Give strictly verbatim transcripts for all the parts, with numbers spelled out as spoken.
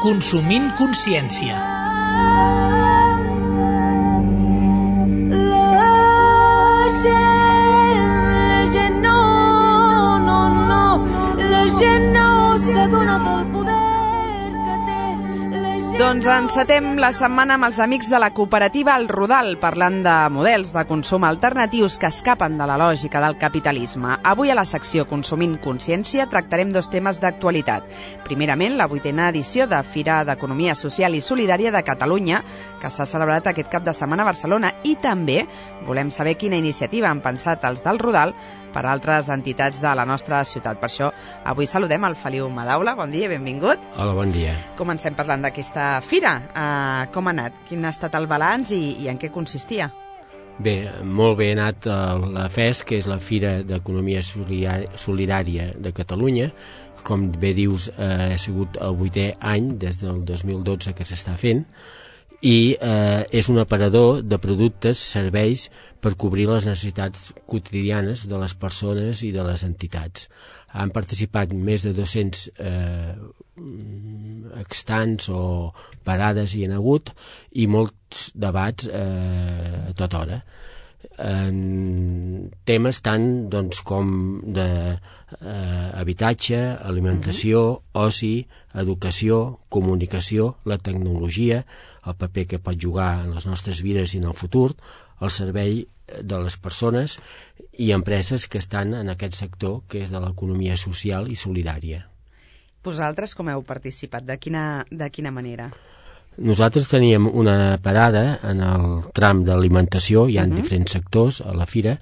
Consumint consciència. Doncs encetem la setmana amb els amics de la cooperativa El Rodal, parlant de models de consum alternatius que escapen de la lògica del capitalisme. Avui a la secció Consumint Consciència tractarem dos temes d'actualitat. Primerament, la vuitena edició de Fira d'Economia Social i Solidària de Catalunya, que s'ha celebrat aquest cap de setmana a Barcelona, i també volem saber quina iniciativa han pensat els del Rodal per a altres entitats de la nostra ciutat. Per això, avui saludem el Feliu Madaula. Bon dia, benvingut. Hola, bon dia. Comencem parlant d'aquesta fira. Uh, com ha anat? Quin ha estat el balanç i, i en què consistia? Bé, molt bé ha anat la F E S, que és la Fira d'Economia Solidària de Catalunya. Com bé dius, eh, ha sigut el vuitè any, des del dos mil dotze que s'està fent, i eh, és un aparador de productes, serveis per cobrir les necessitats quotidianes de les persones i de les entitats. Han participat més de dos-cents eh, extants o parades hi ha hagut i molts debats eh, a tota hora. En temes tant doncs, com de eh, habitatge, alimentació, uh-huh. oci, educació, comunicació, la tecnologia, el paper que pot jugar en les nostres vides i en el futur, el servei de les persones i empreses que estan en aquest sector que és de l'economia social i solidària. Vosaltres com heu participat? De quina, de quina manera? Nosaltres teníem una parada en el tram d'alimentació, hi ha uh-huh. diferents sectors a la fira,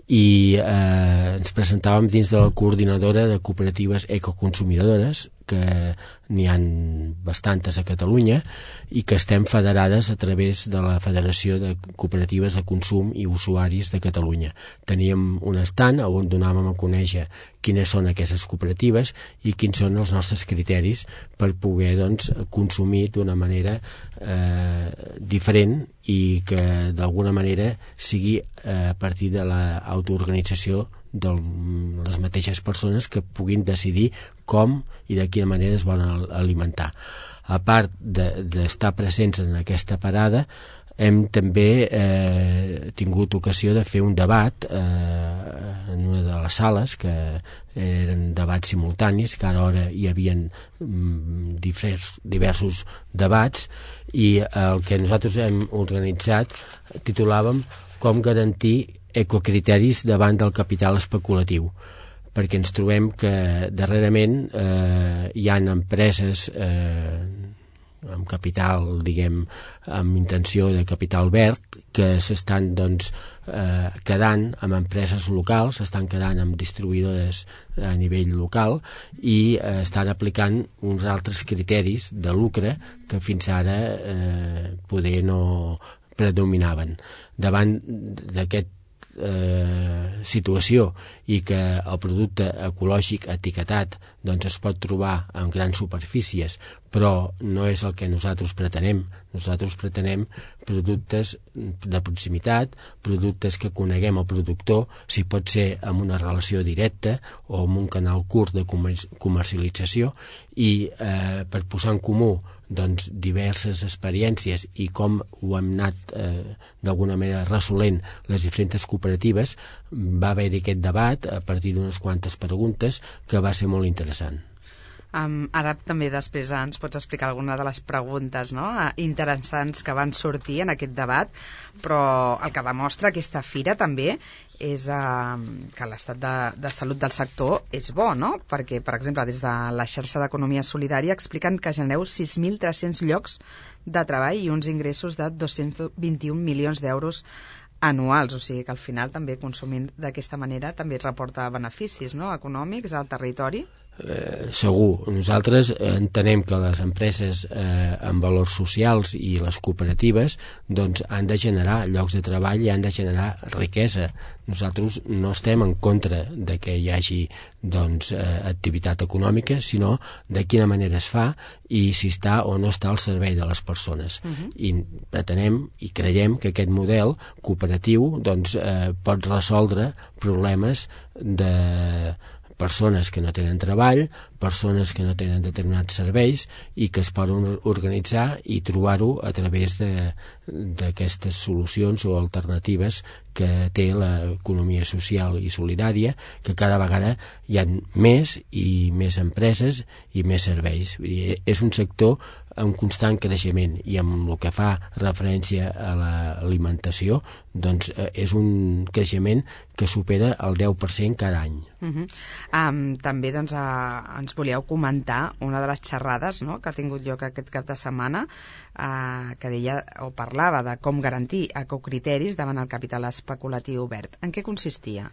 i eh, ens presentàvem dins de la coordinadora de cooperatives ecoconsumidores, que n'hi han bastantes a Catalunya i que estem federades a través de la Federació de Cooperatives de Consum i Usuaris de Catalunya. Teníem un estand on donàvem a conèixer quines són aquestes cooperatives i quins són els nostres criteris per poder doncs, consumir d'una manera eh, diferent i que d'alguna manera sigui eh, a partir de l'autoorganització de les mateixes persones que puguin decidir com i de quina manera es volen alimentar. A part d'estar de, presents en aquesta parada, hem també eh, tingut ocasió de fer un debat eh, en una de les sales, que eren debats simultanis, cada hora hi havia mm, divers, diversos debats, i el que nosaltres hem organitzat titulàvem Com garantir ecocriteris davant del capital especulatiu, perquè ens trobem que darrerament eh, hi ha empreses eh, amb capital, diguem, amb intenció de capital verd, que s'estan doncs, eh, quedant amb empreses locals, s'estan quedant amb distribuïdores a nivell local i eh, estan aplicant uns altres criteris de lucre que fins ara eh, poder no predominaven. Davant d'aquest Eh, situació i que el producte ecològic etiquetat doncs es pot trobar en grans superfícies, però no és el que nosaltres pretenem. Nosaltres pretenem productes de proximitat, productes que coneguem el productor, si pot ser amb una relació directa o amb un canal curt de comercialització, i eh, per posar en comú doncs, diverses experiències i com ho hem anat eh, d'alguna manera resolent les diferents cooperatives, va haver-hi aquest debat a partir d'unes quantes preguntes que va ser molt interessant. Um, ara també després ens pots explicar alguna de les preguntes, no?, interessants que van sortir en aquest debat, però el que demostra aquesta fira també és uh, que l'estat de, de salut del sector és bo, no? Perquè, per exemple, des de la xarxa d'Economia Solidària expliquen que genereu sis mil tres-cents llocs de treball i uns ingressos de dos-cents vint-i-un milions d'euros anuals, o sigui que al final també consumint d'aquesta manera també reporta beneficis, no?, econòmics al territori. Eh, segur, nosaltres entenem que les empreses eh, amb valors socials i les cooperatives doncs han de generar llocs de treball i han de generar riquesa. Nosaltres no estem en contra de que hi hagi doncs, eh, activitat econòmica, sinó de quina manera es fa i si està o no està al servei de les persones. Uh-huh. I pretenem i creiem que aquest model cooperatiu doncs, eh, pot resoldre problemes de persones que no tenen treball, persones que no tenen determinats serveis i que es poden organitzar i trobar-ho a través d'aquestes solucions o alternatives que té l'economia social i solidària, que cada vegada hi ha més i més empreses i més serveis. Vull dir, és un sector en constant creixement i amb el que fa referència a l'alimentació, doncs eh, és un creixement que supera el deu per cent cada any. Uh-huh. um, també doncs, uh, ens volíeu comentar una de les xerrades, no?, que ha tingut lloc aquest cap de setmana, uh, que deia o parlava de com garantir ecocriteris davant el capital especulatiu verd. En què consistia?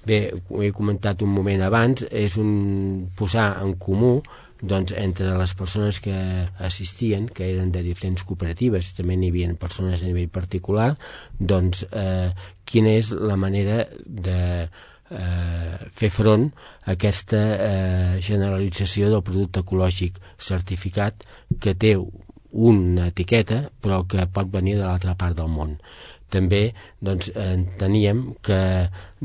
Bé, ho he comentat un moment abans, és un posar en comú doncs, entre les persones que assistien, que eren de diferents cooperatives, també n'hi havia persones a nivell particular, doncs eh, quina és la manera de eh, fer front a aquesta eh, generalització del producte ecològic certificat que té una etiqueta però que pot venir de l'altra part del món. També doncs, enteníem que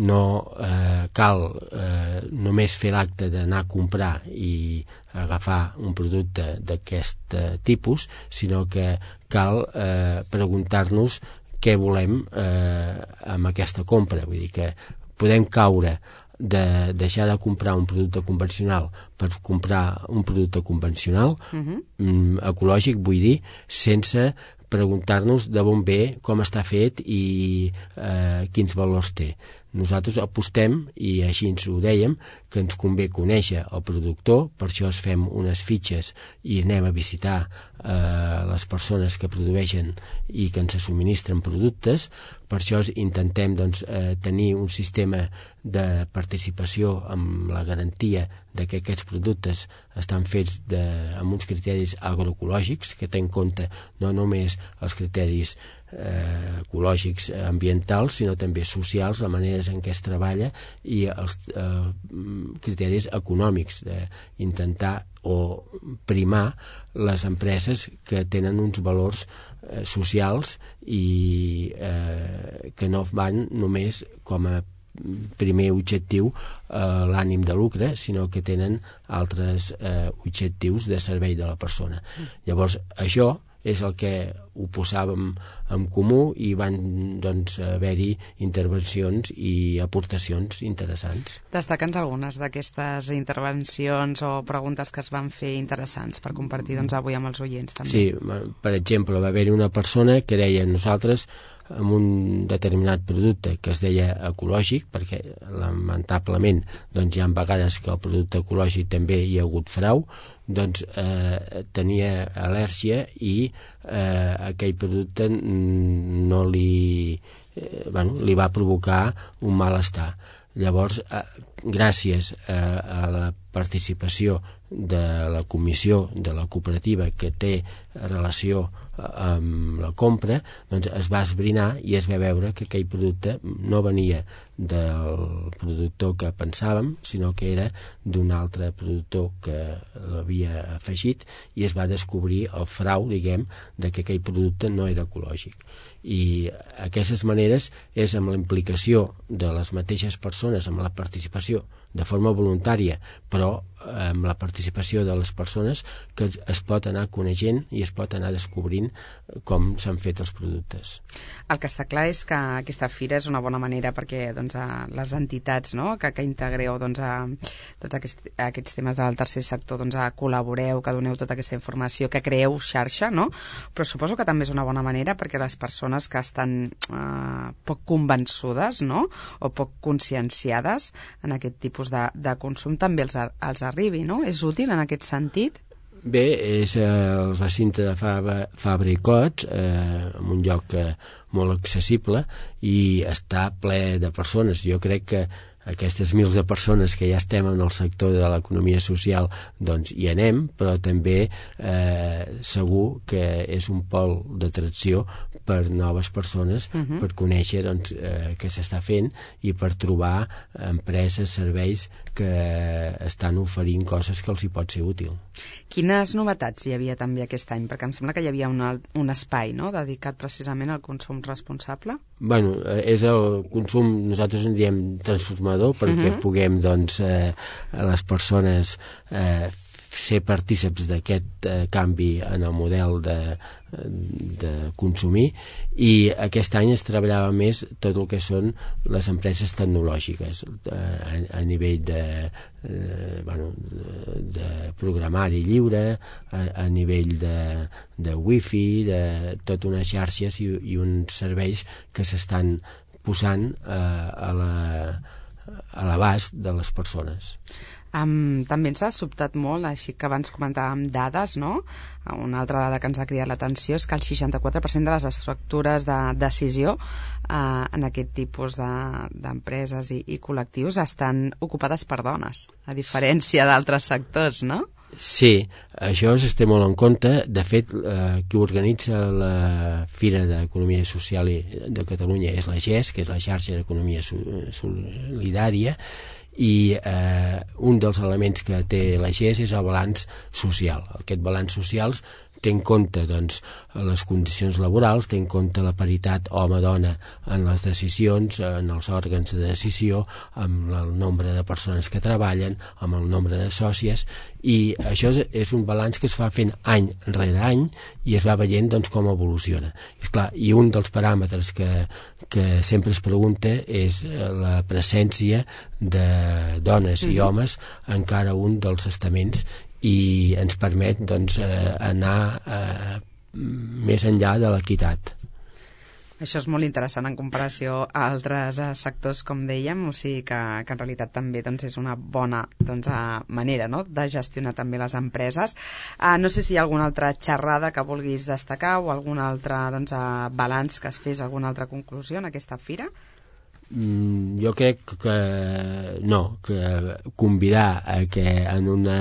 no eh, cal eh, només fer l'acte d'anar a comprar i agafar un producte d'aquest eh, tipus, sinó que cal eh, preguntar-nos què volem eh, amb aquesta compra. Vull dir que podem caure de deixar de comprar un producte convencional per comprar un producte convencional, uh-huh. mm, ecològic, vull dir, sense preguntar-nos de bon ve, com està fet i eh, quins valors té. Nosaltres apostem, i així ens ho dèiem, que ens convé conèixer el productor, per això es fem unes fitxes i anem a visitar eh, les persones que produeixen i que ens subministren productes. Per això intentem doncs, eh, tenir un sistema de participació amb la garantia de que aquests productes estan fets de, amb uns criteris agroecològics que tenen en compte no només els criteris eh, ecològics ambientals, sinó també socials, la manera en què es treballa i els eh, criteris econòmics, d'intentar o primar les empreses que tenen uns valors eh, socials i eh, que no van només com a primer objectiu eh, l'ànim de lucre, sinó que tenen altres eh, objectius de servei de la persona. Llavors, això és el que ho posàvem en comú i van doncs, haver-hi intervencions i aportacions interessants. Destaca'ns algunes d'aquestes intervencions o preguntes que es van fer interessants per compartir doncs, avui amb els oients. També. Sí, per exemple, va haver-hi una persona que deia nosaltres amb un determinat producte que es deia ecològic, perquè lamentablement doncs, hi ha vegades que el producte ecològic també hi ha hagut frau, doncs eh, tenia al·lèrgia i eh, aquell producte no li, eh, bueno, li va provocar un malestar. Llavors, eh, gràcies a, a la participació de la comissió de la cooperativa que té relació amb la compra, doncs es va esbrinar i es va veure que aquell producte no venia del productor que pensàvem, sinó que era d'un altre productor que l'havia afegit i es va descobrir el frau, diguem, de que aquell producte no era ecològic. I aquestes maneres és amb la implicació de les mateixes persones, amb la participació de forma voluntària, però amb la participació de les persones que es pot anar coneixent i es pot anar descobrint com s'han fet els productes. El que està clar és que aquesta fira és una bona manera perquè doncs, les entitats no? que, que integreu doncs, a, tots aquests, aquests temes del tercer sector doncs, a col·laboreu, que doneu tota aquesta informació, que creeu xarxa, no? Però suposo que també és una bona manera perquè les persones que estan eh, poc convençudes no? o poc conscienciades en aquest tipus de, de consum també els, els arribi, no? És útil en aquest sentit? Bé, és eh, el recinte de Fabra, Fabra i Cots, eh, en un lloc eh, molt accessible i està ple de persones. Jo crec que aquestes mils de persones que ja estem en el sector de l'economia social doncs hi anem, però també eh, segur que és un pol d'atracció per noves persones, uh-huh. per conèixer doncs, eh, què s'està fent i per trobar empreses, serveis que estan oferint coses que els hi pot ser útil. Quines novetats hi havia també aquest any? Perquè em sembla que hi havia una, un espai no? dedicat precisament al consum responsable. Bueno, és el consum, nosaltres en diem transformador, perquè uh-huh. puguem doncs, eh, les persones eh, ser partíceps d'aquest eh, canvi en el model de, de consumir, i aquest any es treballava més tot el que són les empreses tecnològiques eh, a, a nivell de, eh, bueno, de, de programari lliure, a, a nivell de, de wifi, de tot unes xarxes i, i uns serveis que s'estan posant eh, a la, a l'abast de les persones. Um, també ens ha sobtat molt, així que abans comentàvem dades, no? Una altra dada que ens ha cridat l'atenció és que el seixanta-quatre per cent de les estructures de decisió uh, en aquest tipus d'empreses de, i, i col·lectius estan ocupades per dones, a diferència d'altres sectors, no? Sí, això es té molt en compte. De fet, eh, qui organitza la Fira d'Economia Social de Catalunya és la G E S, que és la Xarxa d'Economia Solidària, i eh, un dels elements que té la G E S és el balanç social. Aquest balanç social té en compte doncs, les condicions laborals, té en compte la paritat home-dona en les decisions, en els òrgans de decisió, amb el nombre de persones que treballen, amb el nombre de sòcies, i això és, és un balanç que es va fent any rere any i es va veient doncs, com evoluciona. És clar, i un dels paràmetres que, que sempre es pregunta és la presència de dones i homes en cada un dels estaments, i ens permet doncs, eh, anar eh, més enllà de l'equitat. Això és molt interessant en comparació a altres eh, sectors, com dèiem, o sigui que, que en realitat també doncs, és una bona doncs, manera, no?, de gestionar també les empreses. Uh, no sé si hi ha alguna altra xerrada que vulguis destacar o algun altre doncs, uh, balanç que es fes, alguna altra conclusió en aquesta fira? Mm, jo crec que no, que convidar a que en una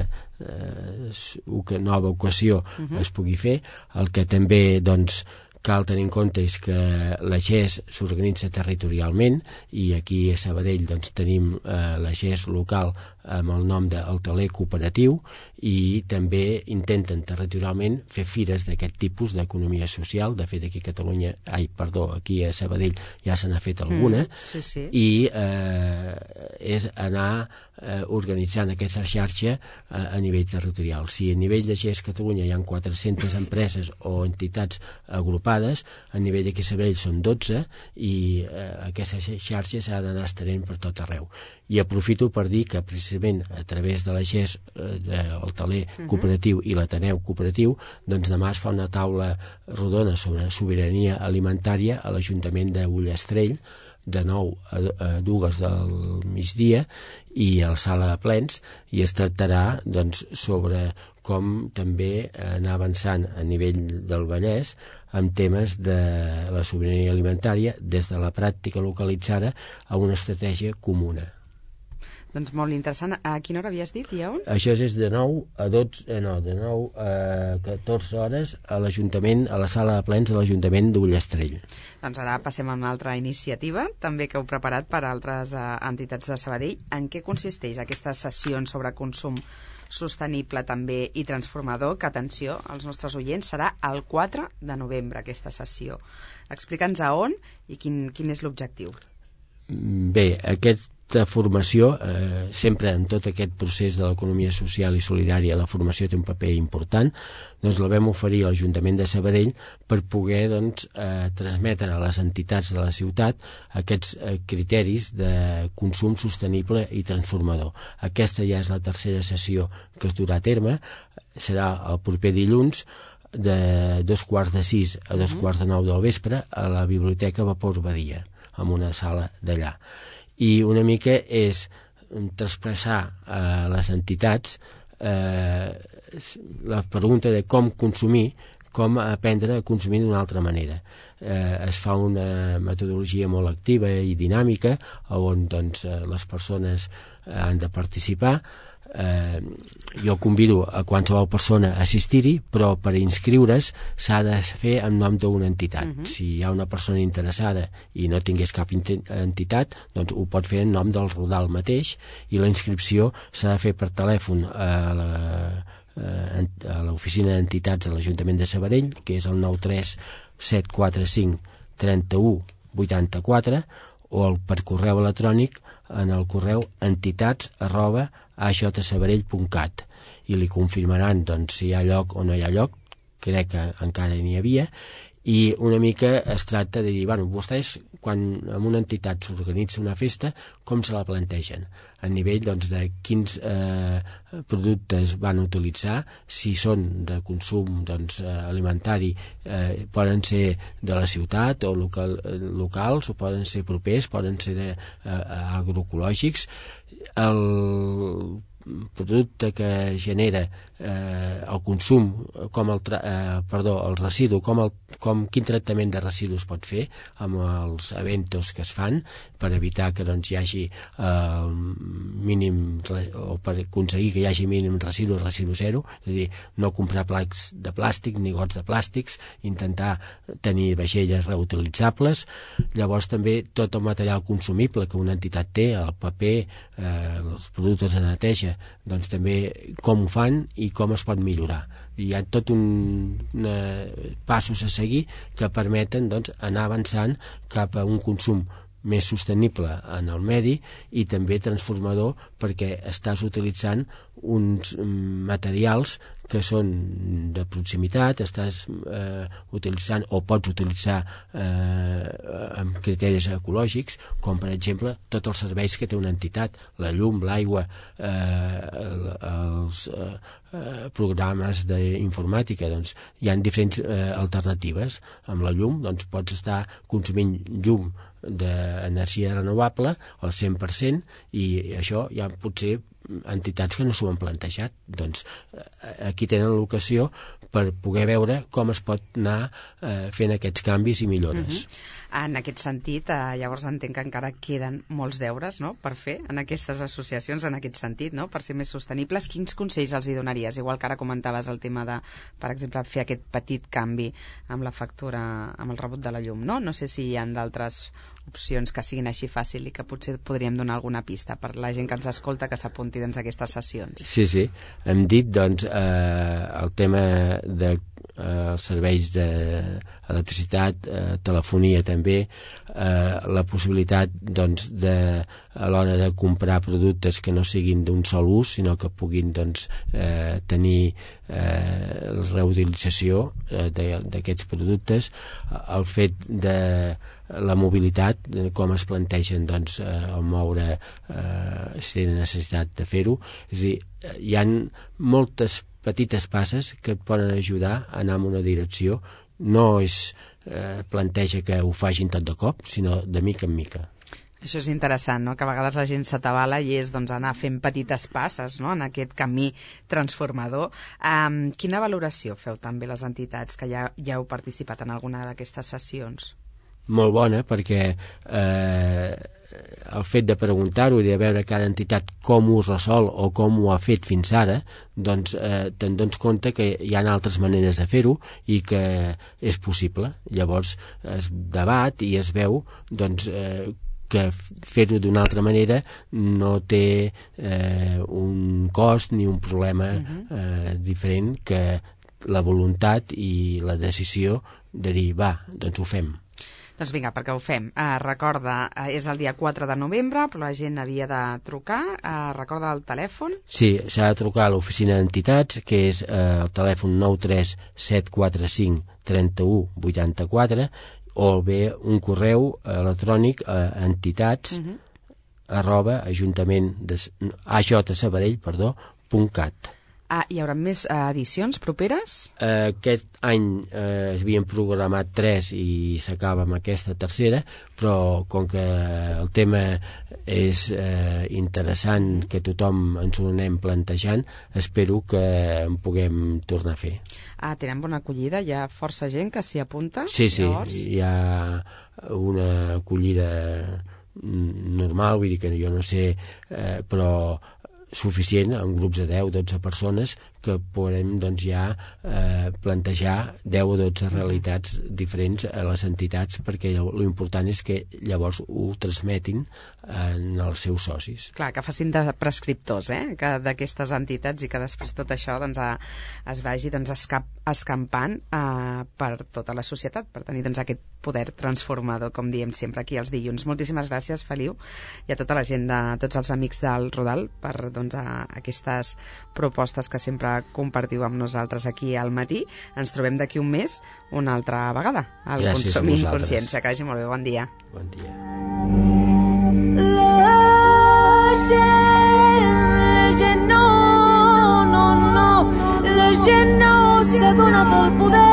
eh, nova ocasió uh-huh. es pugui fer. El que també doncs, cal tenir en compte és que la G E S s'organitza territorialment, i aquí a Sabadell doncs, tenim eh, la G E S local amb el nom del taler cooperatiu, i també intenten territorialment fer fires d'aquest tipus d'economia social. De fet, aquí a Catalunya, ai, perdó, aquí a Sabadell ja se n'ha fet alguna, mm, sí, sí. i eh, és anar eh, organitzant aquesta xarxa a, a nivell territorial. Si a nivell de G E S Catalunya hi ha quatre-centes empreses o entitats agrupades, a nivell d'aquí a Sabadell són dotze, i eh, aquesta xarxa s'ha d'anar estenent per tot arreu. I aprofito per dir que precisament a través de la G E S, eh, el taler cooperatiu i l'Ateneu cooperatiu, doncs demà es fa una taula rodona sobre sobirania alimentària a l'Ajuntament de Ullastrell, de nou a, a dues del migdia, i a la sala de plens, i es tractarà doncs, sobre com també anar avançant a nivell del Vallès amb temes de la sobirania alimentària des de la pràctica localitzada a una estratègia comuna. Doncs molt interessant. A quina hora havies dit i on? Això és de nou a dotze, eh, no, de nou a catorze hores a l'Ajuntament, a la sala de plens de l'Ajuntament d'Ullastrell. Doncs ara passem a una altra iniciativa, també que heu preparat per a altres eh, entitats de Sabadell. En què consisteix aquestes sessions sobre consum sostenible també i transformador, que, atenció, als nostres oients, serà el quatre de novembre, aquesta sessió. Explica'ns a on i quin, quin és l'objectiu. Bé, aquest de formació, eh, sempre en tot aquest procés de l'economia social i solidària la formació té un paper important, doncs la vam oferir a l'Ajuntament de Sabadell per poder doncs, eh, transmetre a les entitats de la ciutat aquests eh, criteris de consum sostenible i transformador. Aquesta ja és la tercera sessió que es durà a terme, serà el proper dilluns de dos quarts de sis a dos quarts de nou del vespre a la Biblioteca Vapor Badia, en una sala d'allà. I una mica és traspassar a les entitats eh, la pregunta de com consumir, com aprendre a consumir d'una altra manera. Eh, es fa una metodologia molt activa i dinàmica on doncs, les persones han de participar. Eh, jo convido a qualsevol persona a assistir-hi, però per inscriure's s'ha de fer en nom d'una entitat. Uh-huh. Si hi ha una persona interessada i no tingués cap entitat, doncs ho pot fer en nom del Rodal mateix, i la inscripció s'ha de fer per telèfon a la, a l'oficina d'entitats de l'Ajuntament de Sabadell, que és el nou tres set quatre cinc tres u vuit quatre, o el per correu electrònic en el correu entitats arroba a j sabadell punt cat. i li confirmaran doncs, si hi ha lloc o no hi ha lloc, crec que encara n'hi havia, i una mica es tracta de dir, bueno, vostès quan en una entitat s'organitza una festa, com se la plantegen? A nivell doncs, de quins eh, productes van utilitzar, si són de consum doncs, alimentari, eh, poden ser de la ciutat o local, locals, o poden ser propers, poden ser de, eh, agroecològics. El producte que genera eh, el consum, com el, tra eh, perdó, el residu, com, el, com quin tractament de residus pot fer amb els eventos que es fan per evitar que doncs, hi hagi el eh, mínim, o per aconseguir que hi hagi mínim residu, residu zero, és a dir, no comprar placs de plàstic ni gots de plàstics, intentar tenir vaixelles reutilitzables. Llavors també tot el material consumible que una entitat té, el paper, eh, els productes de neteja, doncs també com ho fan i com es pot millorar. Hi ha tot un una, passos a seguir que permeten doncs, anar avançant cap a un consum més sostenible en el medi i també transformador, perquè estàs utilitzant uns materials que són de proximitat, estàs eh, utilitzant o pots utilitzar eh, amb criteris ecològics, com per exemple tots els serveis que té una entitat, la llum, l'aigua, eh, els eh, programes d'informàtica. Doncs hi ha diferents eh, alternatives. Amb la llum doncs, pots estar consumint llum d'energia renovable al cent per cent, i això ja potser entitats que no s'ho han plantejat. Doncs aquí tenen l'ocasió per poder veure com es pot anar eh, fent aquests canvis i millores. Uh-huh. En aquest sentit, eh, llavors entenc que encara queden molts deures, no?, per fer en aquestes associacions, en aquest sentit, no?, per ser més sostenibles. Quins consells els hi donaries? Igual que ara comentaves el tema de, per exemple, fer aquest petit canvi amb la factura, amb el rebut de la llum, no? No sé si hi ha d'altres opcions que siguin així fàcil i que potser podríem donar alguna pista per la gent que ens escolta que s'apunti doncs, a aquestes sessions. Sí, sí. Hem dit doncs, eh, el tema de eh, serveis d'electricitat, eh, telefonia també, eh, la possibilitat doncs, de, a l'hora de comprar productes que no siguin d'un sol ús, sinó que puguin doncs, eh, tenir eh, la reutilització eh, d'aquests productes, el fet de la mobilitat, com es plantegen doncs, eh, el moure eh, si té necessitat de fer-ho. És a dir, hi ha moltes petites passes que et poden ajudar a anar en una direcció. No es eh, planteja que ho facin tot de cop, sinó de mica en mica. Això és interessant, no?, que a vegades la gent s'atabala i és doncs, anar fent petites passes, no?, en aquest camí transformador. Um, quina valoració feu també les entitats que ja, ja heu participat en alguna d'aquestes sessions? Molt bona, perquè eh, el fet de preguntar-ho i de veure cada entitat com ho resol o com ho ha fet fins ara, doncs eh, te'n dones compte que hi ha altres maneres de fer-ho i que és possible. Llavors es debat i es veu doncs, eh, que fer-ho d'una altra manera no té eh, un cost ni un problema eh, diferent que la voluntat i la decisió de dir, va, doncs ho fem. Doncs vinga, perquè ho fem. Uh, recorda, uh, és el dia quatre de novembre, però la gent havia de trucar. Uh, recorda el telèfon? Sí, s'ha de trucar a l'oficina d'entitats, que és uh, el telèfon nou tres set quatre cinc tres u vuit quatre, o bé un correu electrònic a entitats uh-huh. arroba ajuntament de, ajsabadell, perdó, punt cat. Ah, hi haurà més eh, edicions properes? Eh, aquest any eh, es havien programat tres i s'acaba amb aquesta tercera, però com que el tema és eh, interessant, que tothom ens ho anem plantejant, espero que en puguem tornar a fer. Ah, tenen bona acollida? Hi ha força gent que s'hi apunta? Sí, sí, llavors? Hi ha una acollida normal, vull dir que jo no sé, eh, però suficient, en grups de deu o dotze persones que podem doncs, ja eh, plantejar deu o dotze realitats diferents a les entitats, perquè l'important és que llavors ho transmetin en els seus socis. Clar, que facin de prescriptors eh? que d'aquestes entitats i que després tot això doncs, a, es vagi doncs, escap, escampant eh, per tota la societat, per tenir doncs, aquest poder transformador, com diem sempre aquí els dilluns. Moltíssimes gràcies, Feliu, i a tota la gent, de tots els amics del Rodal, per doncs, a, aquestes propostes que sempre compartiu amb nosaltres aquí al matí. Ens trobem d'aquí un mes una altra vegada al Consum i Consciència. Que vagi molt bé, bon dia. Bon dia. La gent, la gent no, no, no, la gent no s'adona del poder